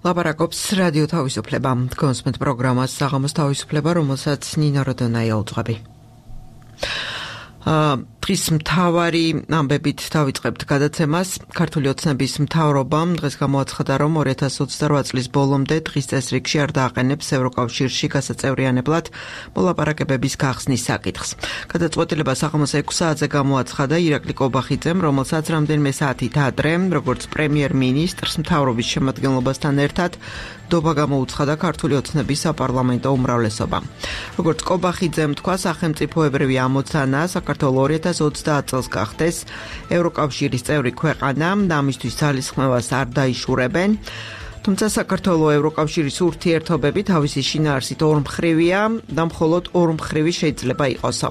ლაპარაკობს რადიო თავისუფლება. კონსმეთ პროგრამას საღამოს თავისუფლება, რომელსაც ნინო როდონაია უძღვები. დღის მთავარი ამბებით დავიწყებთ გადაცემას. ქართული ოცნების მთავრობამ დღეს გამოაცხადა, რომ 2028 წლის ბოლომდე დღის წესრიგში არ დააყენებს ევროკავშირში გასაწევრიანებლად მოლაპარაკებების გახსნის საკითხს. გადაწყვეტილება საღამოს 6 საათზე გამოაცხადა ირაკლი კობახიძემ, რომელსაც რამდენიმე საათით ადრე, როგორც პრემიერ-მინისტრს მთავრობის შემადგენლობასთან ერთად დობა გამოუცხადა ქართული ოცნების საპარლამენტო უმრავლესობა. როგორც კობახიძემ თქვა, სახელმწიფოებრივი ამოცანა საქართველოს 2030 წელს გახდეს ევროკავშირის წევრი ქვეყანა და ამისთვის ძალისხმევას არ დაიშურებენ. თუმცა საქართველოს ევროკავშირის ურთიერთობები თავისი შინაარსით ორმხრივია და მხოლოდ ორმხრივი შეიძლება იყოსო.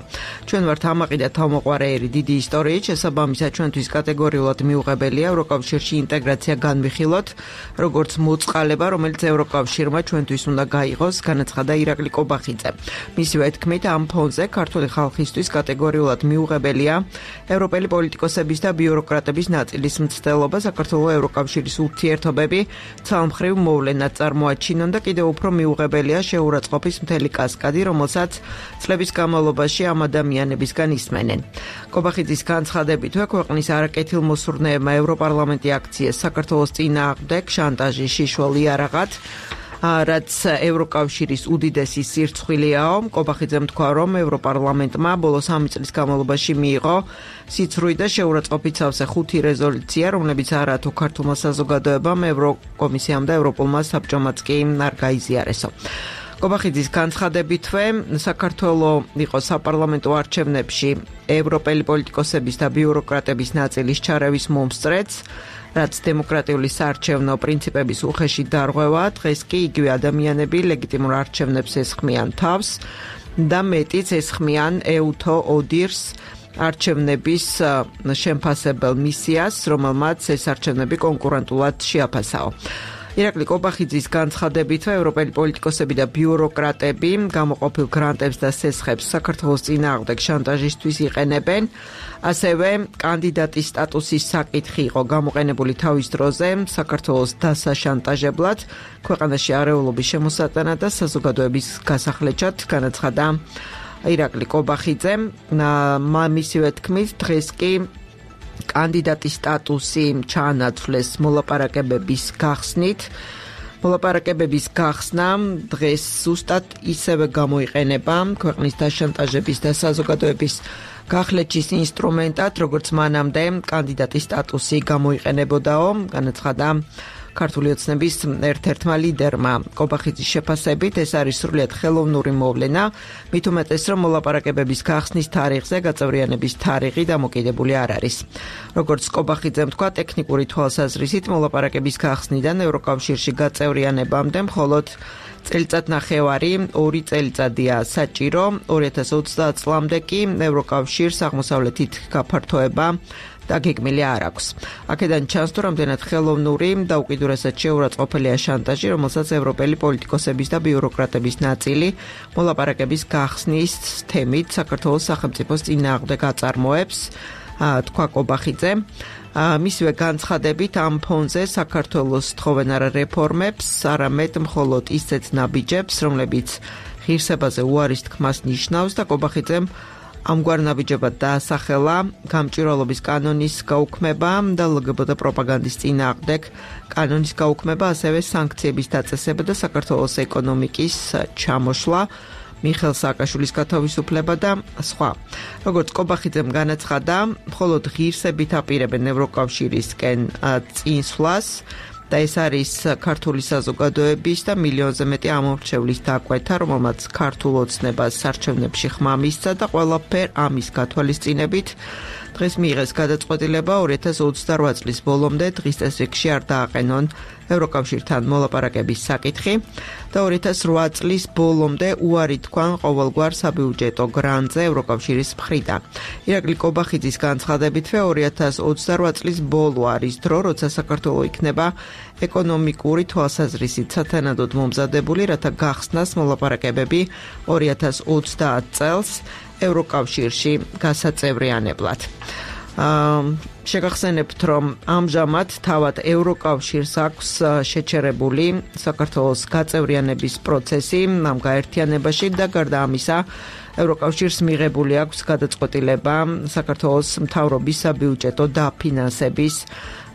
ჩვენ ვართ ამაყი და თავმოყვარეერი დიდი ისტორიით, შესაბამისად ჩვენთვის კატეგორიულად მიუღებელია ევროკავშირში ინტეგრაცია განვიხილოთ, როგორც მოწყალება, რომელიც ევროკავშირმა ჩვენთვის უნდა გაიღოს, განაცხადა ირაკლი კობახიძე. მისივე თქმით, ამ ფონზე ქართული ხალხისთვის კატეგორიულად მიუღებელია ევროპელი პოლიტიკოსების და ბიუროკრატების ნაწილის მცდელობა საქართველოს ევროკავშირის ურთიერთობები მხრივ მოვლენად წარმოაჩინონ და კიდევ უფრო მიუღებელია შეურაცხყოფის მთელი კასკადი, რომელსაც წლების განმავლობაში ამ ადამიანებისგან ისმენენ. კობახიძის განცხადებითვე ქვეყნის არაკეთილმოსურნეებმა ევროპარლამენტი აქციეს საქართველოს წინააღმდეგ შანტაჟის შიშველ იარაღად, რაც ევროკავშირის უდიდესი სირცხვილია. კობახიძემ თქვა, რომ ევროპარლამენტმა ბოლოს 3 წლის განმავლობაში მიიღო სიცრუი და შეურაცხყოფით სავსე 5 რეზოლუცია, რომლებიც არათუ ქართულმა საზოგადოებამ, ევროკომისიამ და ევროპულმა საბჭომაც კი არ გაიზიარესო. კობახიძის განცხადებითვე საქართველოს იყო საპარლამენტო არჩევნებში ევროპელი პოლიტიკოსების და ბიუროკრატების ნაწილის ჩარევის მომსწრეც, რაც დემოკრატიული საარჩევნო პრინციპების უხეში დარღვევა. დღეს კი იგივე ადამიანები ლეგიტიმურ არჩევნებს ესხმიან თავს და მეტიც ესხმიან ეუთო ოდირს არჩევნების შემფასებელ მისიას, რომელმაც ეს არჩევნები კონკურენტულად შეაფასაო. ირაკლი კობახიძის განცხადებითვე ევროპელი პოლიტიკოსები და ბიუროკრატები გამოყოფილ გრანტებს და სესხებს საქართველოს წინააღმდეგ შანტაჟისთვის იყენებენ. ასევე კანდიდატის სტატუსის საკითხი იყო გამოყენებული თავის დროზე საქართველოს დასაშანტაჟებლად, ქვეყანაში არეულობის შემოსატანად და საზოგადოების გასახლეჩად, განაცხადა ირაკლი კობახიძემ. მისივე თქმით, დღეს კი კანდიდატის სტატუსი ჩაანაცვლეს მოლაპარაკებების გახსნით. მოლაპარაკებების გახსნა დღეს ზუსტად ისევე გამოიყენება ქვეყნის დაშანტაჟების და საზოგადოების გახლეჩის ინსტრუმენტად, როგორც მანამდე კანდიდატის სტატუსი გამოიყენებოდაო, განაცხადა ქართული ოცნების ერთ-ერთმა ლიდერმა. კობახიძის შეფასებით ეს არის სრულიად ხელოვნური მოვლენა, მით უმეტეს, რომ მოლაპარაკებების გახსნის თარიღზე გაწევრიანების თარიღი დამოკიდებული არ არის. როგორც კობახიძემ თქვა, ტექნიკური თვალსაზრისით მოლაპარაკების გახსნიდან ევროკავშირში გაწევრიანებამდე მხოლოდ წელიწადნახევარი, 2 წელიწადია საჭირო. 2030 წლამდე კი ევროკავშირს აღმოსავლეთით გაფართოება დაგეგმილი არ აქვს. აქედან ჩანს, თუ რამდენად ხელოვნური და უკიდურესად შეურაცხყოფელია შანტაჟი, რომელსაც ევროპელი პოლიტიკოსების და ბიუროკრატების ნაწილი მოლაპარაკების გახსნის თემით საქართველოს სახელმწიფოს წინააღმდეგ აწარმოებს, თქვა კობახიძე. მისივე განცხადებით ამ ფონზე საქართველოს თხოვენ არა რეფორმებს, არამედ მხოლოდ ისეთ ნაბიჯებს, რომლებიც ღირსებაზე უარის თქმას ნიშნავს და კობახიძემ ამგვარ ნაბიჯებად დაასახელა გამჭვირვალობის კანონის გაუქმება და ლგბტ პროპაგანდის წინააღმდეგ კანონის გაუქმება, ასევე სანქციების დაწესება და საქართველოს ეკონომიკის ჩამოშლა, მიხეილ სააკაშვილის გათავისუფლება და სხვა. როგორც კობახიძემ განაცხადა, მხოლოდ ღირსებით აპირებენ ევროკავშირისკენ წინსვლას და ეს არის ქართული საზოგადოების და მილიონზე მეტი ამომრჩევლის დაკვეთა, რომელმაც ქართულ ოცნებას არჩევნებში ხმა მისცა და ყველაფერ ამის გათვალისწინებით დღეს მიიღეს გადაწყვეტილება 2028 წლის ბოლომდე დღის წესრიგში არ დააყენონ ევროკავშირთან მოლაპარაკების საკითხი და 2008 წლის ბოლომდე უარი თქვან ყოველგვარ საბიუჯეტო გრანტზე ევროკავშირის მხრიდან. ირაკლი კობახიძის განცხადებითვე 2028 წლის ბოლო არის დრო, როცა საქართველო იქნება ეკონომიკური თვალსაზრისით სათანადოდ მომზადებული, რათა გახსნას მოლაპარაკებები 2030 წელს ევროკავშირში გასაწევრიანებლად. შეგახსენებთ, რომ ამჟამად თავად ევროკავშირს აქვს შეჩერებული საქართველოს გაწევრიანების პროცესი ამ გაერთიანებაში და გარდა ამისა ევროკავშირს მიღებული აქვს გადაწყვეტილება საქართველოს მთავრობის საბიუჯეტო დაფინანსების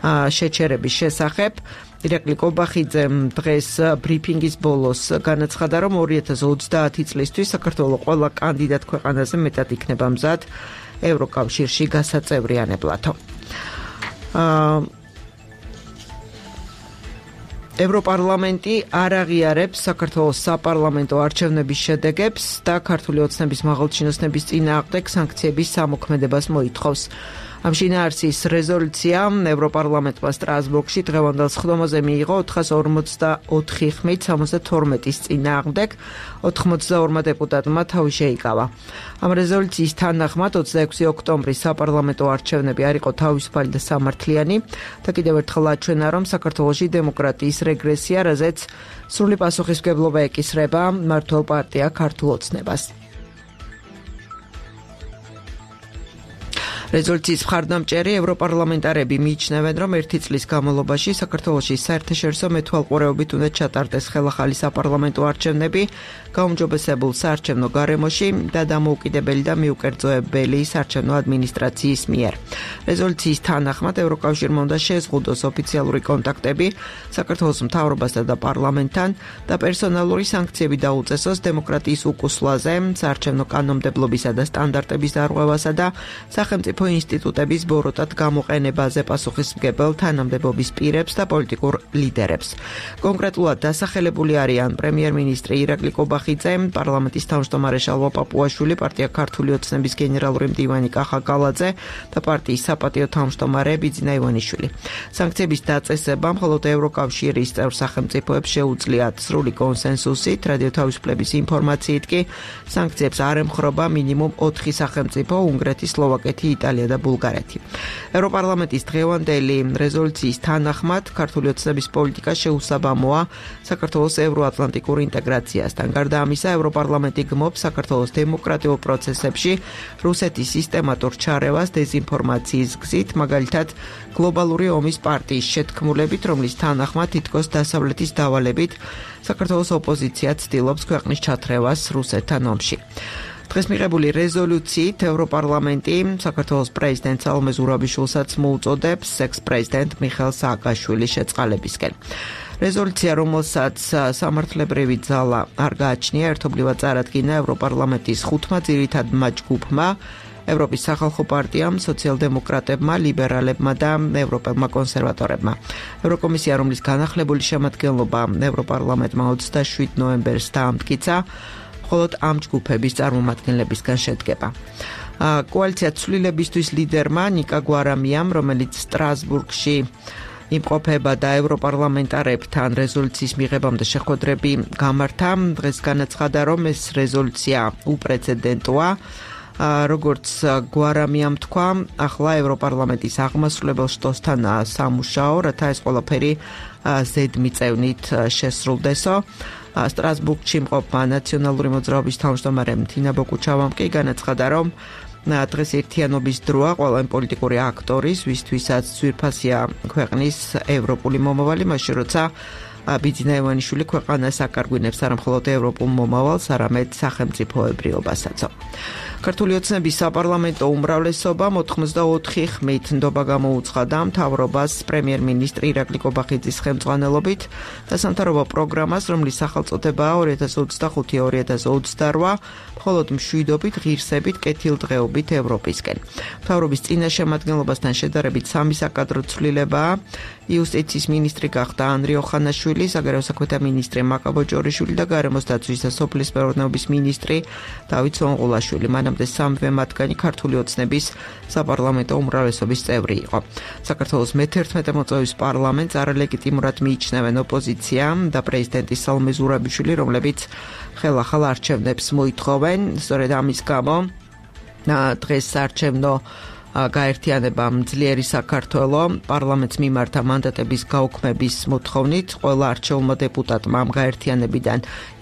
შეჩერების შესახებ. ირაკლი კობახიძემ დღეს ბრიფინგის ბოლოს განაცხადა, რომ 2030 წლისთვის საქართველოს ყველა კანდიდატ ქვეყანაზე მეტად იქნება მზად ევროკავშირში გასაწევრიანებლათო. ევროპარლამენტი არ აღიარებს საქართველოს საპარლამენტო არჩევნების შედეგებს და ქართული ოცნების მაღალჩინოსნების წინააღმდეგ სანქციების სამოქმედებას მოითხოვს. ამ შინაარსის რეზოლუცია ევროპარლამენტმა სტრასბურგში დღევანდელ სხდომაზე მიიღო 444 ხმით 72-ის წინააღმდეგ, 82 დეპუტატმა თავი შეიკავა. ამ რეზოლუციის თანახმად 26 ოქტომბრის საპარლამენტო არჩევნები არ იყო თავისუფალი და სამართლიანი და კიდევ ერთხელ აჩვენა, რომ საქართველოში დემოკრატიის რეგრესია, რაზეც სრული პასუხისმგებლობა ეკისრება მმართველ პარტია ქართულ ოცნებას. რეზოლუციის მხარდამჭერი ევროპარლამენტარები მიიჩნევენ, რომ ერთი წლის განმავლობაში საქართველოში საერთაშორისო მეთვალყურეობით უნდა ჩატარდეს ხელახალი საპარლამენტო არჩევნები გაუმჯობესებულ საარჩევნო გარემოში და დამოუკიდებელი და მიუკერძოებელი საარჩევნო ადმინისტრაციის მიერ. რეზოლუციის თანახმად ევროკავშირმა უნდა შეზღუდოს ოფიციალური კონტაქტები საქართველოს მთავრობასთან და პარლამენტთან და პერსონალური სანქციები დაუწესოს დემოკრატიის უკუსლაზე, საარჩევნო კანონმდებლობისა და სტანდარტების დარღვევასა და სახელმწიფო ინსტიტუტების ბოროტად გამოყენებაზე პასუხისმგებელ თანამდებობის პირებს და პოლიტიკურ ლიდერებს. კონკრეტულად დასახელებული არიან პრემიერ-მინისტრი ირაკლი კობახიძე, პარლამენტის თავმჯდომარე შალვა პაპუაშვილი, პარტია ქართული ოცნების გენერალური მდივანი კახა კალაძე და პარტიის საპატიო თავმჯდომარე ბიძინა ივანიშვილი. სანქციების დაწესება მხოლოდ ევროკავშირის წევრ სახელმწიფოებს შეუძლიათ სრული კონსენსუსით, რადიო თავისუფლების ინფორმაციით კი სანქციებს არ ემხრობა მინიმუმ 4 სახელმწიფო: უნგრეთი, სლოვაკეთი, იტალია და ბულგარეთი. ევროპარლამენტის დღევანდელი რეზოლუციის თანახმად ქართული ოცნების პოლიტიკა შეუსაბამოა საქართველოს ევროატლანტიკურ ინტეგრაციასთან. გარდა ამისა, ევროპარლამენტი გმობს საქართველოს დემოკრატიულ პროცესებში რუსეთის სისტემატურ ჩარევას დეზინფორმაციის გზით, მაგალითად გლობალური ომის პარტიის შეთქმულებით, რომლის თანახმად თითქოს დასავლეთის დავალებით საქართველოს ოპოზიცია ცდილობს ქვეყნის ჩათრევას რუსეთთან ომში. დღეს მიღებული რეზოლუციით ევროპარლამენტი საქართველოს პრეზიდენტ სალომე ზურაბიშვილსაც მოუწოდებს ექს-პრეზიდენტ მიხეილ სააკაშვილის შეწყალებისკენ. რეზოლუცია, რომელსაც სამართლებრივი ძალა არ გააჩნია, ერთობლივად წარადგინა ევროპარლამენტის 5 ძირითადმა ჯგუფმა: ევროპის სახალხო პარტიამ, სოციალ-დემოკრატებმა, ლიბერალებმა და ევროპელმა კონსერვატორებმა. ევროკომისია, რომლის განახლებული შემადგენლობა ევროპარლამენტმა 27 ნოემბერს დაამტკიცა, მხოლოდ ამ ჯგუფების წარმომადგენლებისგან შედგება. კოალიცია ცვლილებისთვის ლიდერმა ნიკა გვარამიამ, რომელიც სტრასბურგში იმყოფება და ევროპარლამენტარებთან რეზოლუციის მიღებამდე შეხვედრები გამართა, დღეს განაცხადა, რომ ეს რეზოლუცია უპრეცედენტოა. როგორც გვარამიამ თქვა, ახლა ევროპარლამენტის აღმასრულებელ შტოსთან სამუშაო, რათა ეს ყველაფერი ზედმიწევნით შესრულდესო. სტრასბურგში მყოფმა ნაციონალური მოძრაობის თავმჯდომარემ თინა ბოკუჩავამ კი განაცხადა, რომ დღეს ერთიანობის დროა ყველა პოლიტიკური აქტორის, ვისთვისაც ძვირფასია ქვეყნის ევროპული მომავალი, მაშინ როცა ბიძინა ივანიშვილი ქვეყანას აკარგვინებს არა მხოლოდ ევროპულ მომავალს, არამედ სახელმწიფოებრიობასაც. ქართული ოცნების საპარლამენტო უმრავლესობა 84 ხმით ნდობა გამოუცხადა მთავრობას პრემიერ-მინისტრი ირაკლი კობახიძის ხელმძღვანელობით და სამთავრობო პროგრამას, რომლის სახელწოდებაა 2025-2028, მხოლოდ მშვიდობით, ღირსებით, კეთილდღეობით ევროპისკენ. მთავრობის წინა შემადგენლობასთან შედარებით სამი საკადრო ცვლილებაა: იუსტიციის მინისტრი გახდა ანრი ოხანაშვილი, საგარეო საქმეთა მინისტრი მაკაბო ჯორიშვილი და გარემოს დაცვის და სოფლის მეურნეობის მინისტრი დავით სონღულაშვილი. მანამდე სამივე მათგანი ქართული ოცნების საპარლამენტო უმრავლესობის წევრი იყო. საქართველოს მე-11 მოწვევის პარლამენტს არალეგიტიმურად მიიჩნევენ ოპოზიცია და პრეზიდენტი სალომე ზურაბიშვილი, რომლებიც ხელახალ არჩევნებს მოითხოვენ. სწორედ ამის გამო დღეს საარჩევნო გაერთიანებამ ძლიერი საქართველო პარლამენტს მიმართა მანდატების გაუქმების მოთხოვნით. ყველა არჩეულმა დეპუტატმა ამ გაერთიანებიდან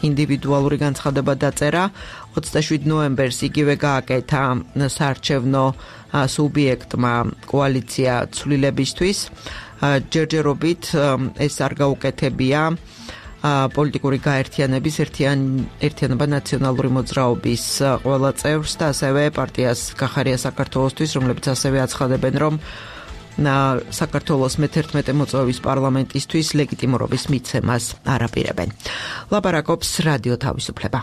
ინდივიდუალური განცხადება დაწერა. 27 ნოემბერს იგივე გააკეთა საარჩევნო სუბიექტმა კოალიცია ცვლილებისთვის. ჯერჯერობით ეს არ გაუკეთებია პოლიტიკური გაერთიანების ერთიანობა ნაციონალური მოძრაობის ყველა წევრს და ასევე პარტიას გახარია საქართველოსთვის, რომლებიც ასევე აცხადებენ, რომ საქართველოს მე-11 მოწვევის პარლამენტისთვის ლეგიტიმურობის მიცემას არ აპირებენ. ლაპარაკობს რადიო თავისუფლება.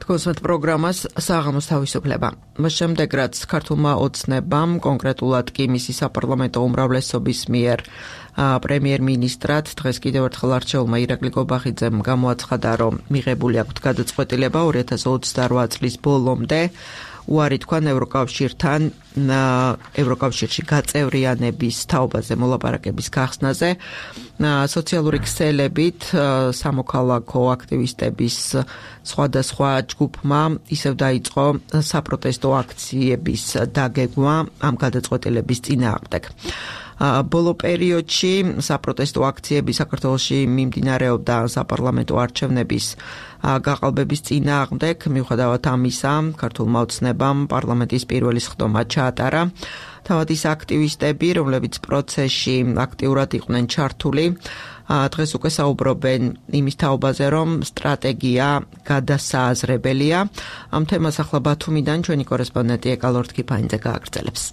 კონსერტ პროგრამას საღამოს თავისუფლება. შემდეგ რაც ქართულმა ოცნებამ, კონკრეტულად კი მისი საპარლამენტო უმრავლესობის მიერ პრემიერ-მინისტრად დღეს კიდევ ერთხელ არჩეულმა ირაკლი გობახიძემ გამოაცხადა, რომ მიღებული აქვთ გადაწყვეტილება 2028 წლის ბოლომდე უარი თქვან ევროკავშირში გაწევრიანების თაობაზე მოლაპარაკების გახსნაზე. სოციალური ქსელებით სამოქალაქო აქტივისტების სხვადასხვა ჯგუფმა ისევ დაიწყო საპროტესტო აქციების დაგეგმვა ამ გადაწყვეტილების წინააღმდეგ. ბოლო პერიოდში საპროტესტო აქციები საქართველოში მიმდინარეობდა საპარლამენტო არჩევნების გაყალბების წინააღმდეგ. მიუხედავად ამისა, ქართულმა ოცნებამ პარლამენტის პირველი სხდომა ჩაატარა. თავად ის აქტივისტები, რომლებიც პროცესში აქტიურად იყვნენ ჩართული, დღეს უკვე საუბრობენ იმის თაობაზე, რომ სტრატეგია გადასააზრებელია. ამ თემას ახლა ბათუმიდან ჩვენი კორესპონდენტი ეკალორდ კიფაინძე გააგრძელებს.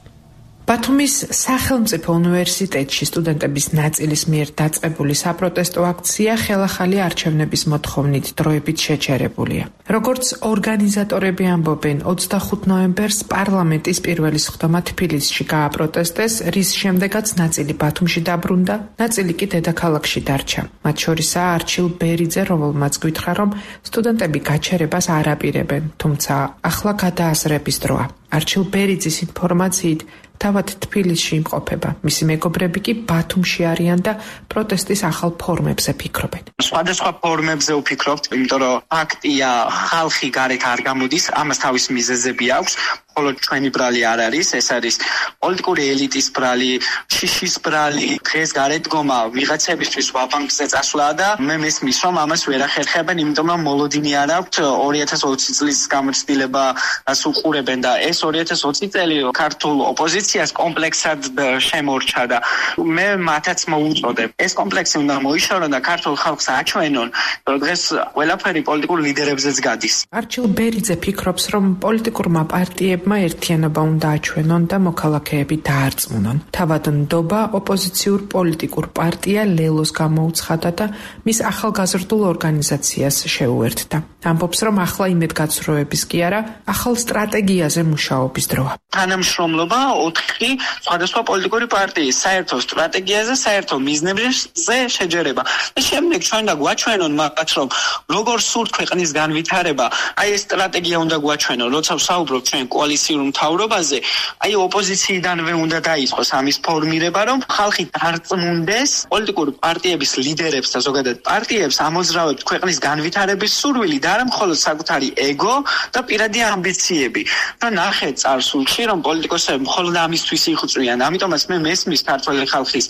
ბათუმის სახელმწიფო უნივერსიტეტში სტუდენტების ნაწილის მიერ დაწყებული საპროტესტო აქცია ხელახალი არჩევნების მოთხოვნით დროებით შეჩერებულია. როგორც ორგანიზატორები ამბობენ, 25 ნოემბერს პარლამენტის პირველი სხდომა თბილისში გააპროტესტეს, რის შემდეგაც ნაწილი ბათუმში დაბრუნდა, ნაწილი კი დედაქალაქში დარჩა. მათ შორისაა არჩილ ბერიძე, რომელმაც გითხრა, რომ სტუდენტები გაჩერებას არ აპირებენ, თუმცა ახლა გადააზრების დროა. არჩილ ბერიძის ინფორმაციით თავად თბილისში იმყოფება. მისი მეგობრები კი ბათუმში არიან და პროტესტის ახალ ფორმებზე ფიქრობენ. სხვადასხვა ფორმებზე ვფიქრობთ, იმიტომ რომ ფაქტია, ხალხი გარეთ არ გამოდის, ამას თავის მიზეზები აქვს. მხოლოდ ჩვენი ბრალი არ არის, ეს არის პოლიტიკური ელიტის ბრალი, შიშის ბრალი, დღეს გარეთ დგომა ვიღაცებისთვის ვაბანკზე წასვლა და მე მესმის, რომ ამას ვერ ახერხებენ, იმიტომ რომ მოლოდინი არ აქვთ 2020 წლის გამოცდილებას უყურებენ და ეს 2020 წელი ქართულ ოპოზიციას კომპლექსად შემორჩა და მე მათაც მოუწოდებ. ეს კომპლექსი უნდა მოიშორონ და ქართულ ხალხს აჩვენონ, რომ დღეს ყველაფერი პოლიტიკურ ლიდერებზეც გადის. არჩილ ბერიძე ფიქრობს, რომ პოლიტიკურმა პარტიებმა ერთიანობა უნდა აჩვენონ და მოქალაქეები დაარწმუნონ. თავად ნდობა ოპოზიციურ პოლიტიკურ პარტია ლელოს გამოუცხადა და მის ახალგაზრდულ ორგანიზაციას შეუერთდა. ამბობს, რომ ახლა იმედგაცრუების კი არა, ახალ სტრატეგიაზე მუშაობის დროა. თანამშრომლობა 4 სხვადასხვა პოლიტიკური პარტიის საერთო სტრატეგიაზე, საერთო მიზნებზე შეჯერება. და შემდეგ ჩვენ და გვაჩვენონ მათ, რომ როგორ სურთ ქვეყნის განვითარება, აი ეს სტრატეგია უნდა გვაჩვენონ, როცა ვსაუბრობ ჩვენ კოალიციურ მთავრობაზე, აი ოპოზიციიდანვე უნდა დაიწყოს ამის ფორმირება, რომ ხალხი დარწმუნდეს პოლიტიკური პარტიების ლიდერებს და ზოგადად პარტიებს ამოძრავებთ ქვეყნის განვითარების სურვილი და არა მხოლოდ საკუთარი ეგო და პირადი ამბიციები. და ნახეთ წარსულში, რომ პოლიტიკოსები მხოლოდ ამისთვის იღვწვიან. ამიტომაც მე მესმის ქართველი ხალხის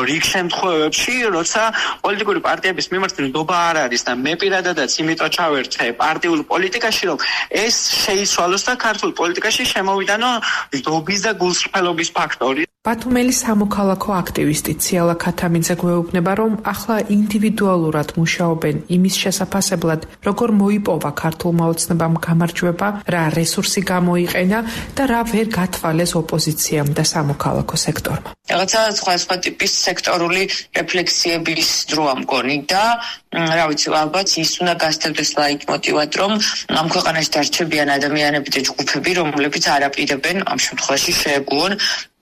რიგ შემთხვევებში, როცა პოლიტიკური პარტიების მიმართ ნდობა არ არის და მე პირადადაც იმიტომ ჩავერთე პარტიულ პოლიტიკაში, რომ ეს შეიცვალოს და ქართულ პოლიტიკაში შემოვიდანო ნდობის და გულსრფელობის ფაქტორი. ბათუმელი სამოქალაქო აქტივისტი ციალა ქათამიძე გვეუბნება, რომ ახლა ინდივიდუალურად მუშაობენ იმის შესაფასებლად, როგორ მოიპოვა ქართულმა ოცნებამ გამარჯვება, რა რესურსი გამოიყენა და რა ვერ გათვალეს ოპოზიციამ და სამოქალაქო სექტორმა. რაღაცა სხვა ტიპის სექტორული რეფლექსიების დროა მგონი და რა ვიცი, ალბათ ის უნდა გასცემდეს ლაიტმოტივად, რომ ამ ქვეყანაში დარჩებიან ადამიანები და ჯგუფები, რომლებიც არ აპირებენ ამ შემთხვევაში შეეგუონ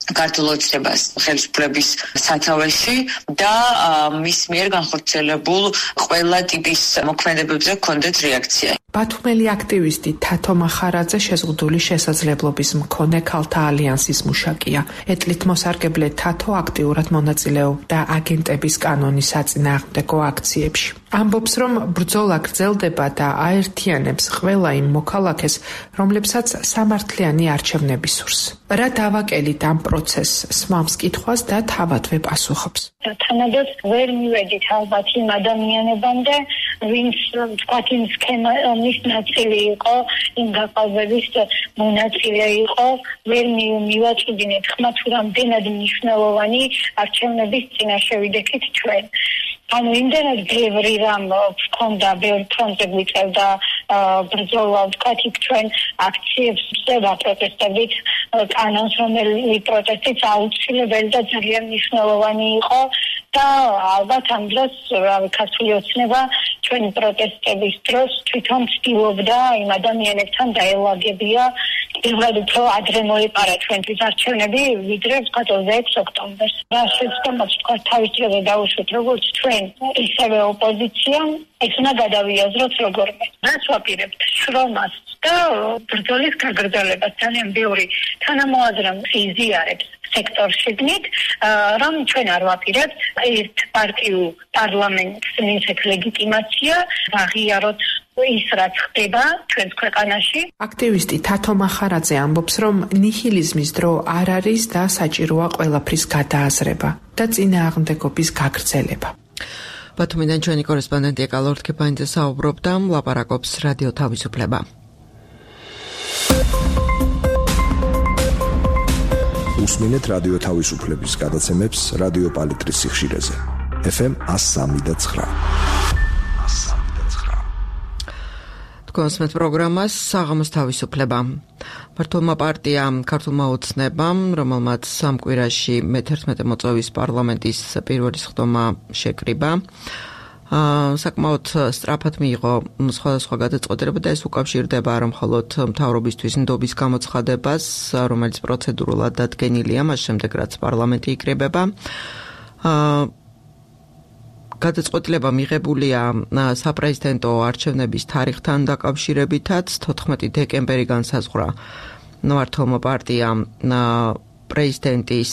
ქართულ ოცნებას ხელისუფლების სათავეში და მის მიერ განხორციელებულ ყველა ტიპის მოქმედებებზე ჰქონდეთ რეაქცია. ბათუმელი აქტივისტი თათო მახარაძე შეზღუდული შესაძლებლობის მქონე ქალთა ალიანსის მუშაკია. ეტლით მოსარგებლე თათო აქტიურად მონაწილეობდა აგენტების კანონის საწინააღმდეგო აქციებში. ამბობს, რომ ბრძოლა გრძელდება და აერთიანებს ყველა იმ მოქალაქეს, რომლებსაც სამართლიანი არჩევნები სურს. რა დავაკელით ამ პროცესს, სმამს კითხვას და თავადვე პასუხობს. თანადოდ ვერ მივედით ალბათ იმ ადამიანებამდე, ვინც თქვათ იმ სქემის ნაწილი იყო, იმ გაყალბების მონაწილე იყო, ვერ მივაწვდინეთ ხმა თუ რამდენად მნიშვნელოვანი არჩევნების წინაშე ვიდექით ჩვენ. ანუ იმდენად ბევრი რამ გქონდა, ბევრი ფრონტზე გვიწევდა ბრძოლა, ვთქვათ, იქ ჩვენ აქციებს ვწევდა პროტესტებით, კანონს, რომელი პროტესტიც აუცილებელი და ძალიან მნიშვნელოვანი იყო და ალბათ ამ დროს, ქართული ოცნება ჩვენი პროტესტების დროს თვითონ ცდილობდა იმ ადამიანებთან დაელაგებია, პირველად უფრო ადრე მოეპარა ჩვენთვის არჩევნები, ვიდრე ვთქვათ 26 ოქტომბერს. რა შეცდომაც ვთქვათ თავის დროზე დაუშვით, როგორც ჩვენ, ისევე ოპოზიცია, ეს უნდა გადავიაზროთ როგორმე. რას ვაპირებთ? შრომას და ბრძოლის გაგრძელებას. ძალიან ბევრი თანამოაზრე იზიარებს სექტორშიგნით, რომ ჩვენ არ ვაპირებთ ერთ პარტიულ პარლამენტს მისცეთ ლეგიტიმაცია, ვაღიაროთ ის რაც ხდება ჩვენს ქვეყანაში. აქტივისტი თათო მახარაძე ამბობს, რომ ნიჰილიზმის დრო არ არის და საჭიროა ყველაფრის გადააზრება და წინააღმდეგობის გაგრძელება. ბათუმიდან ჩვენი კორესპონდენტი ეკა ლორთქეფანიძე საუბრობდა, ლაპარაკობს რადიო თავისუფლება. უსმინეთ რადიო თავისუფლების გადაცემებს რადიო პალიტრის სიხშირეზე. FM 103.9. კონსმეთ პროგრამას საღამოს თავისუფლება. მართლმა პარტიამ ქართულმა ოცნებამ, რომელმაც სამ კვირაში მე-11 მოწვევის პარლამენტის პირველი სხდომა შეკრიბა, საკმაოდ სწრაფად მიიღო სხვადასხვა გადაწყვეტილება და ეს უკავშირდება არა მხოლოდ მთავრობისთვის ნდობის გამოცხადებას, რომელიც პროცედურულად დადგენილია, მას შემდეგ რაც პარლამენტი იკრიბება. გადაწყვეტილება მიღებულია საპრეზიდენტო არჩევნების თარიღთან დაკავშირებითაც 14 დეკემბერი განსაზღვრა მართლმა პარტიამ პრეზიდენტის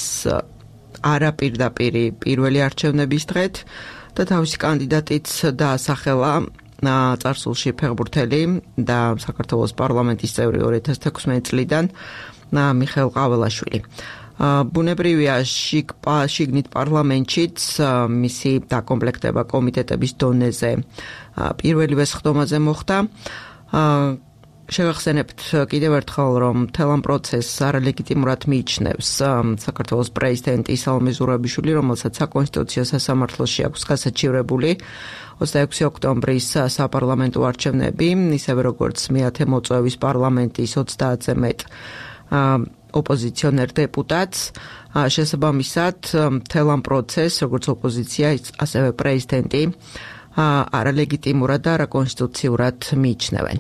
არაპირდაპირი პირველი არჩევნების დღეთ და თავისი კანდიდატიც დაასახელა წარსულში ფეხბურთელი და საქართველოს პარლამენტის წევრი 2016 წლიდან მიხეილ ყაველაშვილი. ბუნებრივია შიგნით პარლამენტშიც მისი დაკომპლექტება კომიტეტების დონეზე პირველივე სხდომაზე მოხდა. შევახსენებთ კიდევ ერთხელ, რომ მთელ ამ პროცესს არალეგიტიმურად მიიჩნევს საქართველოს პრეზიდენტი სალომე ზურაბიშვილი, რომელსაც საკონსტიტუციო სასამართლოში აქვს გასაჩივრებული 26 ოქტომბრის საპარლამენტო არჩევნები, ისევე როგორც მე-10 მოწვევის პარლამენტის 30-ზე მეტ ოპოზიციონერ დეპუტატს. შესაბამისად, მთელ ამ პროცესს, როგორც ოპოზიცია, ასევე პრეზიდენტი არალეგიტიმურად და არაკონსტიტუციურად მიიჩნევენ.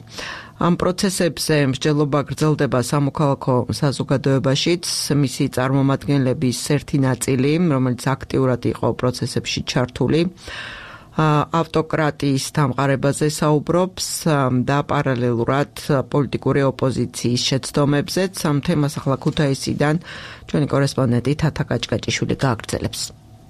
ამ პროცესებზე მსჯელობა გრძელდება სამოქალაქო საზოგადოებაშიც, მისი წარმომადგენლების ერთი ნაწილი, რომელიც აქტიურად იყო პროცესებში ჩართული, ავტოკრატიის დამყარებაზე საუბრობს და პარალელურად პოლიტიკური ოპოზიციის შეცდომებზეც. ამ თემას ახლა ქუთაისიდან ჩვენი კორესპონდენტი თათა კაჭკაჭიშვილი გააგრძელებს.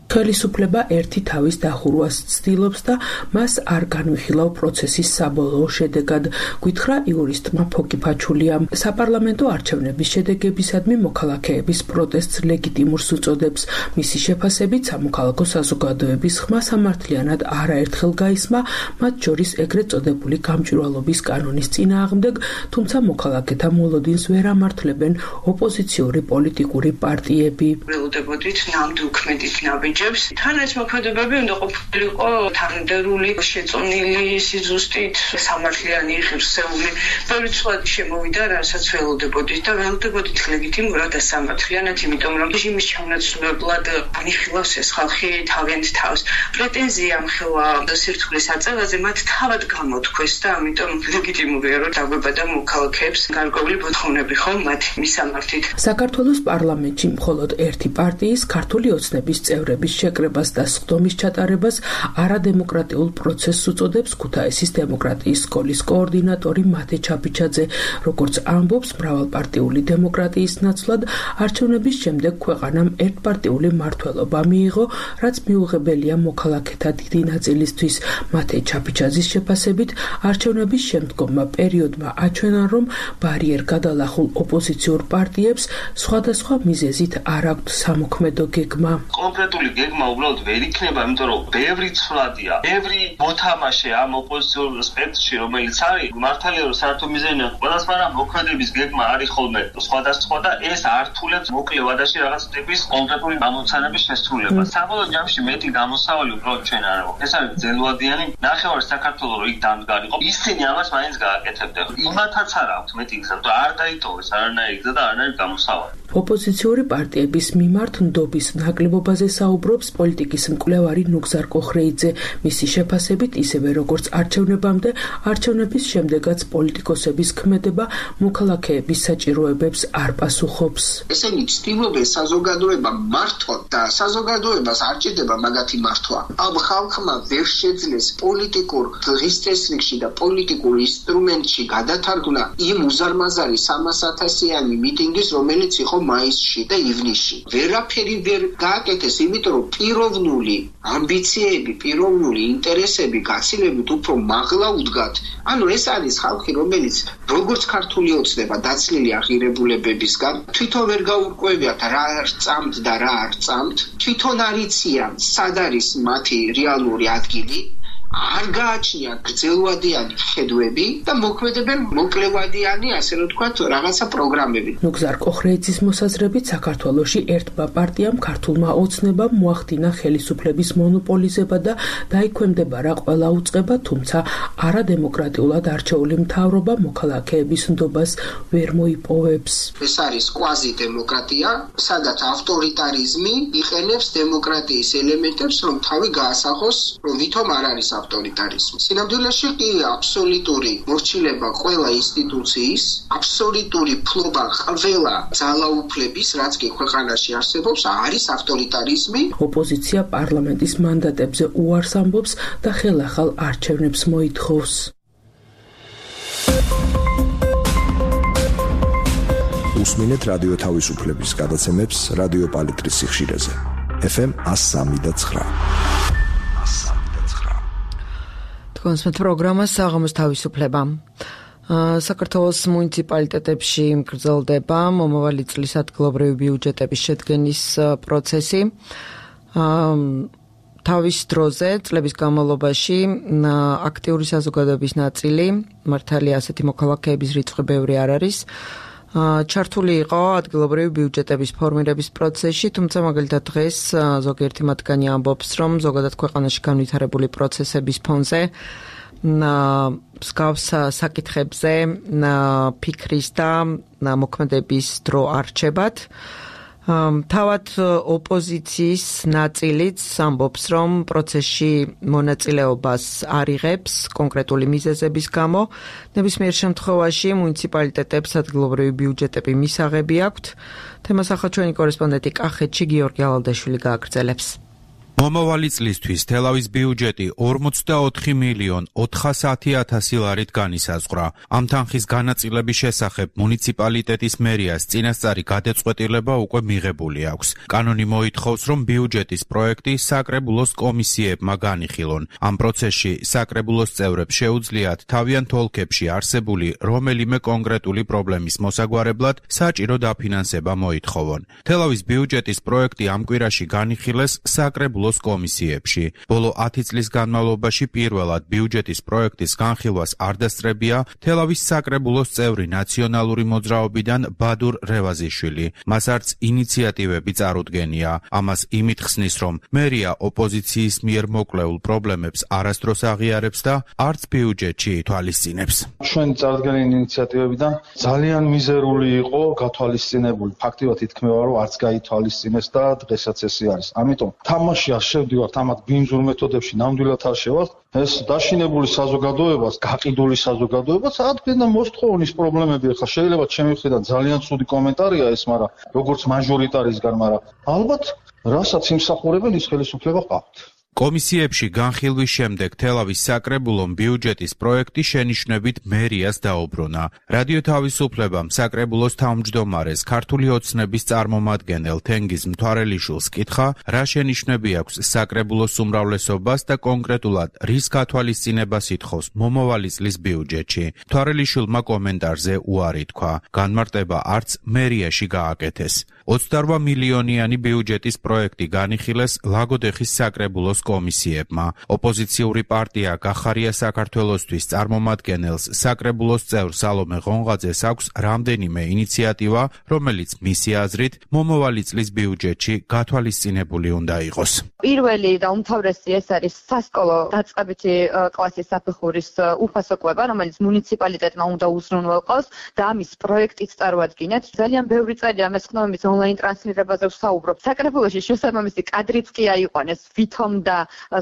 ხელისუფლება ერთი თავის დახურვას ცდილობს და მას არ განვიხილავ პროცესის საბოლოო შედეგად, გვითხრა იურისტმა ფოკი ფაჩულიამ. საპარლამენტო არჩევნების შედეგებისადმი მოქალაქეების პროტესტს ლეგიტიმურს უწოდებს. მისი შეფასებით სამოქალაქო საზოგადოების ხმა სამართლიანად არაერთხელ გაისმა, მათ შორის ეგრეთ წოდებული გამჭვირვალობის კანონის წინააღმდეგ, თუმცა მოქალაქეთა მოლოდინს ვერ ამართლებენ ოპოზიციური პოლიტიკური პარტიები. ველოდებოდით ნამდვილ ნაბიჯებს. თან ეს მოქმედებები უნდა ყოფილიყო თანმიმდევრული, შეწონილი, სიზუსტით, სამართლიანი, ღირსეული. ბევრი ცვლადი შემოვიდა, რასაც ველოდებოდით და ველოდებოდით ლეგიტიმურად და სამართლიანად, იმიტომ რომ რეჟიმის ჩამონაცვლებლად განიხილავს ეს ხალხი თავიანთ თავს. პრეტენზია მხელა სირთულის აწევაზე მათ თავად გამოთქვეს და ამიტომ ლეგიტიმურია, რომ დაგვებადა მოქალაქეებს გარკვეული მოთხოვნები ხომ მათი მისამართით. საქართველოს პარლამენტში მხოლოდ ერთი პარტიის ქართული ოცნების წევრების არჩევნების შეკრებას და სხდომის ჩატარებას არადემოკრატიულ პროცესს უწოდებს ქუთაისის დემოკრატიის სკოლის კოორდინატორი მათე ჩაფიჩაძე. როგორც ამბობს, მრავალპარტიული დემოკრატიის ნაცვლად არჩევნების შემდეგ ქვეყანამ ერთპარტიული მმართველობა მიიღო, რაც მიუღებელია მოქალაქეთა დიდი ნაწილისთვის. მათე ჩაფიჩაძის შეფასებით, არჩევნების შემდგომმა პერიოდმა აჩვენა, რომ ბარიერ გადალახულ ოპოზიციურ პარტიებს სხვადასხვა მიზეზით არ აქვთ სამოქმედო გეგმა. კონკრეტული გეგმა უბრალოდ ვერ იქნება, იმიტომ რომ ბევრი ცვლადია, ბევრი მოთამაშე ამ ოპოზიციურ სპექტრში, რომელიც არის მართალია რომ საერთო მიზანია ყველას, მაგრამ მოქმედების გეგმა არის ხოლმე სხვადასხვა და ეს ართულებს მოკლე ვადაში რაღაც ტიპის კონკრეტული გამოცანების შესრულებას. საბოლოო ჯამში მეტი გამოსავალი უბრალოდ ჩვენ არ აქვს. ეს არის ძელვადიანი ნახევარი საქართველოს რო იქ დამდგარიყო. ისინი ამას მაინც გააკეთებდნენ. იმათაც არ აქვს მეტი გზა, რომ არ დაიტოვეს არანაირი გზა და არანაირი გამოსავალი. ოპოზიციური პარტიების მიმართ ნდობის ნაკლებობაზე საუბრობს პოლიტიკის მკვლევარი ნუგზარ კოხრეიძე. მისი შეფასებით, ისევე როგორც არჩევნებამდე, არჩევნების შემდეგაც პოლიტიკოსების ქმედება მოქალაქეების საჭიროებებს არ პასუხობს. ესენი ცდილობენ საზოგადოება მართვათ და საზოგადოებას არ ჭირდება მაგათი მართვა. ამ ხალხმა ვერ შეძლეს პოლიტიკურ დღის წესრიგში და პოლიტიკურ ინსტრუმენტში გადათარგმნა იმ უზარმაზარი 300,000-იანი მიტინგის, რომელიც იყო მაისში და ივნისში. ვერაფერი ვერ გააკეთეს, იმიტომ რომ პიროვნული ამბიციები, პიროვნული ინტერესები გაცილებით უფრო მაღლა უდგათ. ანუ ეს არის ხალხი, რომელიც როგორც ქართული ოცნება დაცლილი აღირებულებებისგან თვითონ ვერ გაურკვევიათ რა წამთ და რა არ წამთ, თვითონ არ იციან სად არის მათი რეალური ადგილი, არ გააჩნიათ გრძელვადიანი ხედვები და მოქმედებენ მოკლევადიანი, ასე რომ თქვათ, რაღაცა პროგრამები. ნუგზარ კოხრეიძის მოსაზრებით, საქართველოში ერთმა პარტიამ ქართულმა ოცნებამ მოახდინა ხელისუფლების მონოპოლიზება და დაიქვემდება რა ყველა უწყება, თუმცა არადემოკრატიულად არჩეული მთავრობა მოქალაქეების ნდობას ვერ მოიპოვებს. ეს არის კვაზი დემოკრატია, სადაც ავტორიტარიზმი იყენებს დემოკრატიის ელემენტებს, რომ თავი გაასახოს, რომ ვითომ არ არის ავტორიტარიზმი. სინამდვილეში კი აბსოლუტური მორჩილება ყველა ინსტიტუციის, აბსოლუტური ფლობა ყველა ძალაუფლების, რაც კი ქვეყანაში არსებობს, არის ავტორიტარიზმი. ოპოზიცია პარლამენტის მანდატებზე უარს ამბობს და ხელახალ არჩევნებს მოითხოვს. უსმინეთ რადიო თავისუფლების გადაცემებს რადიო პალიტრის სიხშირეზე. FM 103.9. კონსმეთ პროგრამა საღამოს თავისუფლება. საქართველოს მუნიციპალიტეტებში გრძელდება მომავალი წლის ადგილობრივი ბიუჯეტების შედგენის პროცესი. თავის დროზე წლების განმავლობაში აქტიური საზოგადოების ნაწილი, მართალია ასეთი მოქალაქეების რიცხვი ბევრი არ არის, ჩართული იყო ადგილობრივი ბიუჯეტების ფორმირების პროცესში, თუმცა მაგალითად დღეს ზოგიერთი მათგანი ამბობს, რომ ზოგადად ქვეყანაში განვითარებული პროცესების ფონზე მსგავს საკითხებზე ფიქრის და მოქმედების დრო არ რჩებათ. თავად ოპოზიციის ნაწილიც ამბობს, რომ პროცესში მონაწილეობას არ იღებს კონკრეტული მიზეზების გამო. ნებისმიერ შემთხვევაში მუნიციპალიტეტებს ადგილობრივი ბიუჯეტები მისაღები აქვთ. თემას ახლა ჩვენი კორესპონდენტი კახეთში გიორგი ალალდაშვილი გააგრძელებს. მომავალი წლისთვის თელავის ბიუჯეტი 44,410,000 ლარით განისაზღვრა. ამ თანხის განაწილების შესახებ მუნიციპალიტეტის მერიას წინასწარი გადაწყვეტილება უკვე მიღებული აქვს. კანონი მოითხოვს, რომ ბიუჯეტის პროექტი საკრებულოს კომისიებმა განიხილონ. ამ პროცესში საკრებულოს წევრებს შეუძლიათ თავიანთ ოლქებში არსებული რომელიმე კონკრეტული პრობლემის მოსაგვარებლად საჭირო დაფინანსება მოითხოვონ. თელავის ბიუჯეტის პროექტი ამ კვირაში განიხილეს საკრებულოს კომისიებში. ბოლო 10 წლის განმავლობაში პირველად ბიუჯეტის პროექტის განხილვას არ დასწრებია თელავის საკრებულოს წევრი ნაციონალური მოძრაობიდან ბადურ რევაზიშვილი. მას არც ინიციატივები წარუდგენია. ამას იმით ხსნის, რომ მერია ოპოზიციის მიერ მოკლეულ პრობლემებს არასდროს აღიარებს და არც ბიუჯეტში ითვალისწინებს. ჩვენ წარდგენილი ინიციატივებიდან ძალიან მიზერული იყო გათვალისწინებული. ფაქტიურად ითქმება, რომ არც გაითვალისწინეს და დღესაც ესე არის. ამიტომ თამაში შევდივართ ამათ ბინძურ მეთოდებში, ნამდვილად არ შევართ. ეს დაშინებული საზოგადოებას, გაყიდული საზოგადოებას ადგენდა მოსთხოვნის პრობლემები. ახლა შეიძლება ჩემი მხრიდან ძალიან ცუდი კომენტარია ეს, მაგრამ როგორც მაჟორიტარისგან, მაგრამ ალბათ რასაც იმსახურებენ ის ხელისუფლება ყავთ. კომისიებში განხილვის შემდეგ თელავის საკრებულომ ბიუჯეტის პროექტი შენიშვნებით მერიას დაუბრუნა. რადიო თავისუფლებამ საკრებულოს თავმჯდომარეს ქართული ოცნების წარმომადგენელ თენგიზ მთვარელიშვილს კითხა, რა შენიშვნები აქვს საკრებულოს უმრავლესობას და კონკრეტულად რის გათვალისწინებას ითხოვს მომავალი წლის ბიუჯეტში. მთვარელიშვილმა კომენტარზე უარი თქვა. განმარტება არც მერიაში გააკეთეს. 28 მილიონიანი ბიუჯეტის პროექტი განიხილეს ლაგოდეხის საკრებულოს კომისიებმა. ოპოზიციური პარტია გახარია საქართველოსთვის წარმომადგენელს საკრებულოს წევრ სალომე ღონღაძეს აქვს რამდენიმე ინიციატივა, რომელიც მისი აზრით მომავალი წლის ბიუჯეტში გათვალისწინებული უნდა იყოს. პირველი და უმთავრესი ეს არის სასკოლო დაწყებითი კლასის საფეხურის უფასო კვება, რომელიც მუნიციპალიტეტმა უნდა უზრუნველყოს და ამის პროექტიც წარმოადგინეთ. ძალიან ბევრი წელი ამას ხდომის ონლაინ ტრანსლირებაზე ვსაუბრობ. საკრებულოში შესაბამისი კადრიც კი აიყვანეს ვითომ და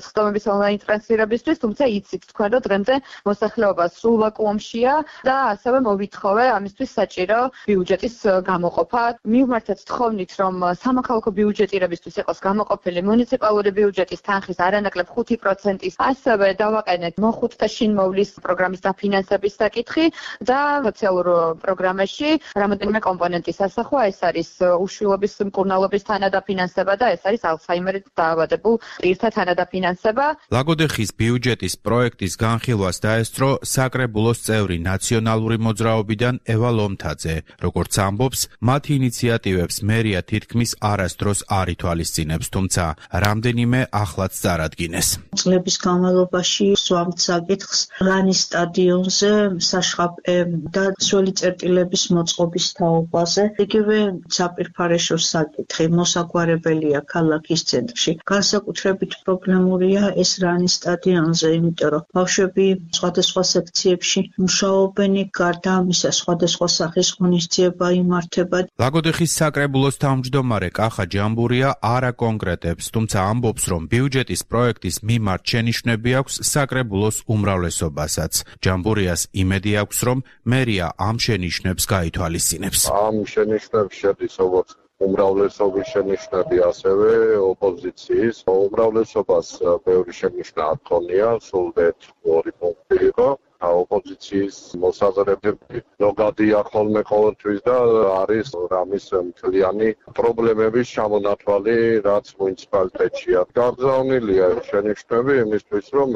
სხდომების ონლაინ ტრანსლირებისთვის, თუმცა იცით თქვენ, რომ დღემდე მოსახლეობა სულ ვაკუუმშია და ასევე მოვითხოვე ამისთვის საჭირო ბიუჯეტის გამოყოფა. მივმართეთ თხოვნით, რომ სამოქალაქო ბიუჯეტირებისთვის იყოს გამოყოფილი მუნიციპალური ბიუჯეტის თანხის არანაკლებ 5%-ის, ასევე დავაყენეთ მოხუცთა შინმოვლის პროგრამის დაფინანსების საკითხი და სოციალურ პროგრამაში რამოდენიმე კომპონენტის ასახვა, ეს არის უშვილობის მკურნალობის თანადაფინანსება და ეს არის ალცჰაიმერით დაავადებულ პირთა თანადაფინანსება. ლაგოდეხის ბიუჯეტის პროექტის განხილვას დაესწრო საკრებულოს წევრი ნაციონალური მოძრაობიდან ევა ლომთაძე. როგორც ამბობს, მათი ინიციატივებს მერია თითქმის არასდროს არ ითვალისწინებს, თუმცა რამდენიმე ახლაც წარადგინეს. წლების განმავლობაში ვსვამთ საკითხს რანის სტადიონზე საშხაპე და სველი წერტილების მოწყობის თაობაზე. იგივე საპირფარეშოს საკითხი მოსაგვარებელია ქალაქის ცენტრში. განსაკუთრებით პრობლემურია ეს რანის სტადიონზე, იმიტომ რომ ბავშვები სხვადასხვა სექციებში მუშაობენ, გარდა ამისა სხვადასხვა სახის ღონისძიება იმართება. ლაგოდეხის საკრებულოს თავმჯდომარე კახა ჯამბურია არ აკონკრეტებს, თუმცა ამბობს, რომ ბიუჯეტის პროექტის მიმართ შენიშვნები აქვს საკრებულოს უმრავლესობასაც. ჯამბურიას იმედი აქვს, რომ მერია ამ შენიშვნებს გაითვალისწინებს. ამ შენიშვნებს შედის როგორც უმრავლესობის შენიშვნები, ასევე ოპოზიციის. უმრავლესობას ბევრი შენიშვნა არ ჰქონია, სულდეთ 2 პუნქტი იყო. ოპოზიციის მოსაზრებები ზოგადია ხოლმე ყოველთვის და არის რამის მთლიანი პრობლემების ჩამონათვალი, რაც მუნიციპალიტეტშია. გაგზავნილია შენიშვნები იმისთვის, რომ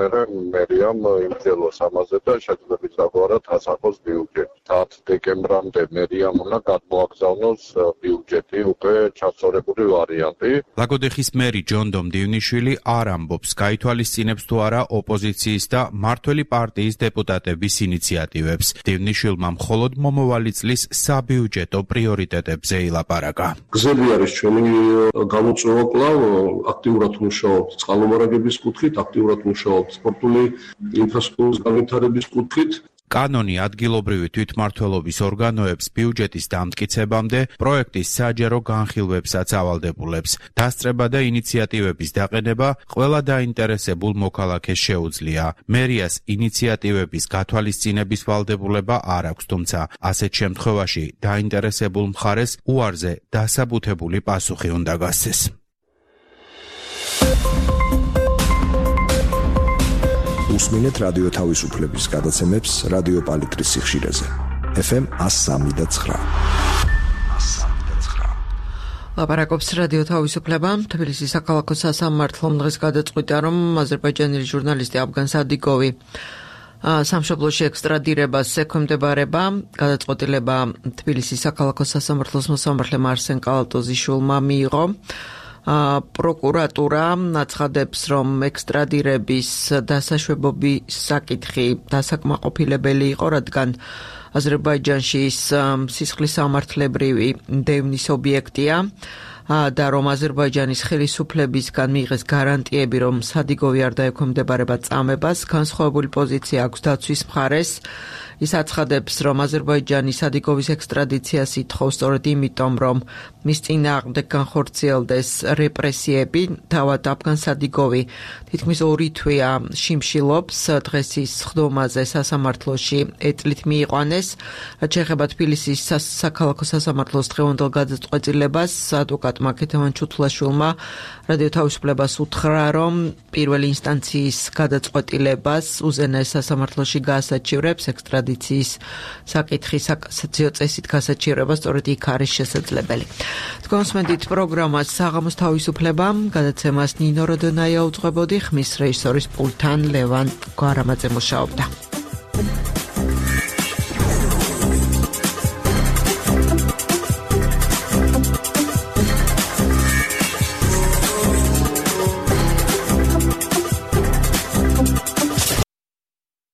მერიამ იმძელოს ამაზე და შეძლებს დაგვარად ასახოს ბიუჯეტი. 10 დეკემბრამდე მერიამ უნდა გადმოაგზავნოს ბიუჯეტი უკვე ჩასწორებული ვარიანტი. ლაგოდეხის მერი ჯონდომ დივნიშვილი არ ამბობს, გაითვალისწინებს თუ არა ოპოზიციის და მმართველი პარტიის დეპუტატების ინიციატივებს. დივნიშვილმა მხოლოდ მომავალი წლის საბიუჯეტო პრიორიტეტებზე ილაპარაკა. გზები არის ჩვენი გამოწვევა კვლავ, აქტიურად მუშაობთ წყალმომარაგების კუთხით, აქტიურად მუშაობთ სპორტული ინფრასტრუქტურის განვითარების კუთხით. კანონი ადგილობრივი თვითმმართველობის ორგანოებს ბიუჯეტის დამტკიცებამდე პროექტის საჯარო განხილვებსაც ავალდებულებს. დასწრება და ინიციატივების დაყენება ყველა დაინტერესებულ მოქალაქეს შეუძლია. მერიას ინიციატივების გათვალისწინების ვალდებულება არ აქვს, თუმცა ასეთ შემთხვევაში დაინტერესებულ მხარეს უარზე დასაბუთებული პასუხი უნდა გასცეს. უსმინეთ რადიო თავისუფლების გადაცემებს რადიო პალიტრის სიხშირეზე. FM 103.9. ლაპარაკობს რადიო თავისუფლება. თბილისის საქალაქო სასამართლომ დღეს გადაწყვიტა, რომ აზერბაიჯანელი ჟურნალისტი აფგან სადიკოვი სამშობლოში ექსტრადირებას ექვემდებარება. გადაწყვეტილება თბილისის საქალაქო სასამართლოს მოსამართლემ არსენ კალატოზიშვილმა მიიღო. პროკურატურა აცხადებს, რომ ექსტრადირების დასაშვებობის საკითხი დასაკმაყოფილებელი იყო, რადგან აზერბაიჯანში ის სისხლის სამართლებრივი დევნის ობიექტია და რომ აზერბაიჯანის ხელისუფლებისგან მიიღეს გარანტიები, რომ სადიკოვი არ დაექვემდებარება წამებას, განსხვავებული პოზიცია აქვს დაცვის მხარეს. ის აცხადებს, რომ აზერბაიჯანი სადიკოვის ექსტრადიციას ითხოვს სწორედ იმიტომ, რომ მის წინააღმდეგ განხორციელდეს რეპრესიები. თავად აფგან სადიკოვი თითქმის 2 თვეა შიმშილობს. დღეს ის სხდომაზე სასამართლოში ეტლით მიიყვანეს. რაც შეეხება თბილისის საქალაქო სასამართლოს დღევანდელ გადაწყვეტილებას, ადვოკატ ადვოკატმა ქეთევან ჩუთლაშვილმა რადიო თავისუფლებას უთხრა, რომ პირველი ინსტანციის გადაწყვეტილებას უზენაეს სასამართლოში გაასაჩივრებს ექსტრადიციის საკითხი საკასაციო წესით გასაჩივრება სწორედ იქ არის შესაძლებელი. თქვენსმენდით პროგრამას საღამოს თავისუფლება, გადაცემას ნინო როდონაია უძღვებოდი, ხმის რეჟისორის პულტთან ლევან გვარამაძე მუშაობდა.